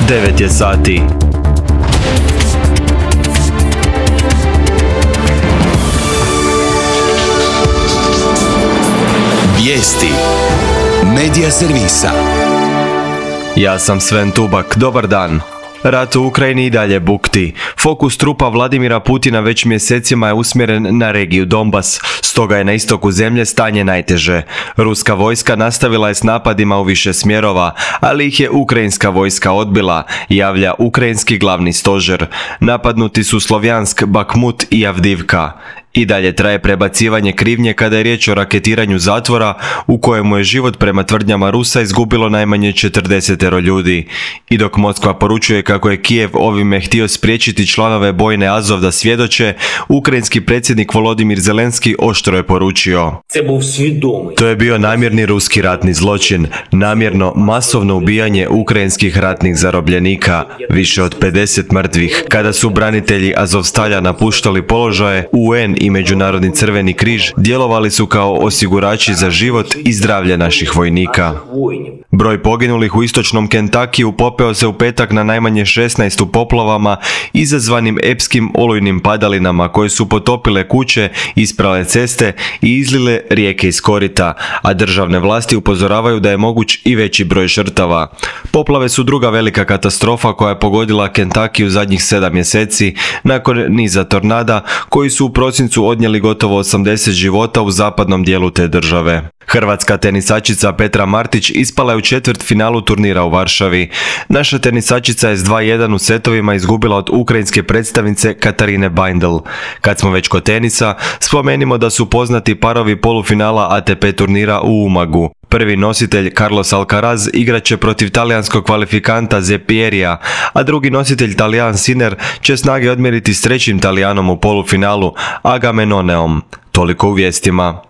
9 je sati. Vijesti Medija servisa. Ja sam Sven Tubak, dobar dan. Rat u Ukrajini i dalje bukti. Fokus trupa Vladimira Putina već mjesecima je usmjeren na regiju Donbas, stoga je na istoku zemlje stanje najteže. Ruska vojska nastavila je s napadima u više smjerova, ali ih je ukrajinska vojska odbila, javlja ukrajinski glavni stožer. Napadnuti su Slovjansk, Bakmut i Avdivka. I dalje traje prebacivanje krivnje kada je riječ o raketiranju zatvora u kojemu je život prema tvrdnjama Rusa izgubilo najmanje 40 ljudi. I dok Moskva poručuje kako je Kijev ovime htio spriječiti članove bojne Azov da svjedoče, ukrajinski predsjednik Volodimir Zelenski oštro je poručio: to je bio namjerni ruski ratni zločin, namjerno masovno ubijanje ukrajinskih ratnih zarobljenika, više od 50 mrtvih. Kada su branitelji Azovstalja napuštali položaje, UN i Međunarodni crveni križ djelovali su kao osigurači za život i zdravlje naših vojnika. Broj poginulih u istočnom Kentakiju popeo se u petak na najmanje 16 u poplavama izazvanim epskim olujnim padalinama koje su potopile kuće, isprale ceste i izlile rijeke iz korita, a državne vlasti upozoravaju da je moguć i veći broj žrtava. Poplave su druga velika katastrofa koja je pogodila Kentakiju zadnjih 7 mjeseci nakon niza tornada koji su u prosincu odnijeli gotovo 80 života u zapadnom dijelu te države. Hrvatska tenisačica Petra Martić ispala je u četvrtfinalu turnira u Varšavi. Naša tenisačica je s 2:1 u setovima izgubila od ukrajinske predstavnice Katarine Bindel. Kad smo već kod tenisa, spomenimo da su poznati parovi polufinala ATP turnira u Umagu. Prvi nositelj Carlos Alcaraz igraće protiv talijanskog kvalifikanta Zepierija, a drugi nositelj Talijan Sinner će snage odmjeriti s trećim Talijanom u polufinalu Agamemnoneom. Toliko u vijestima.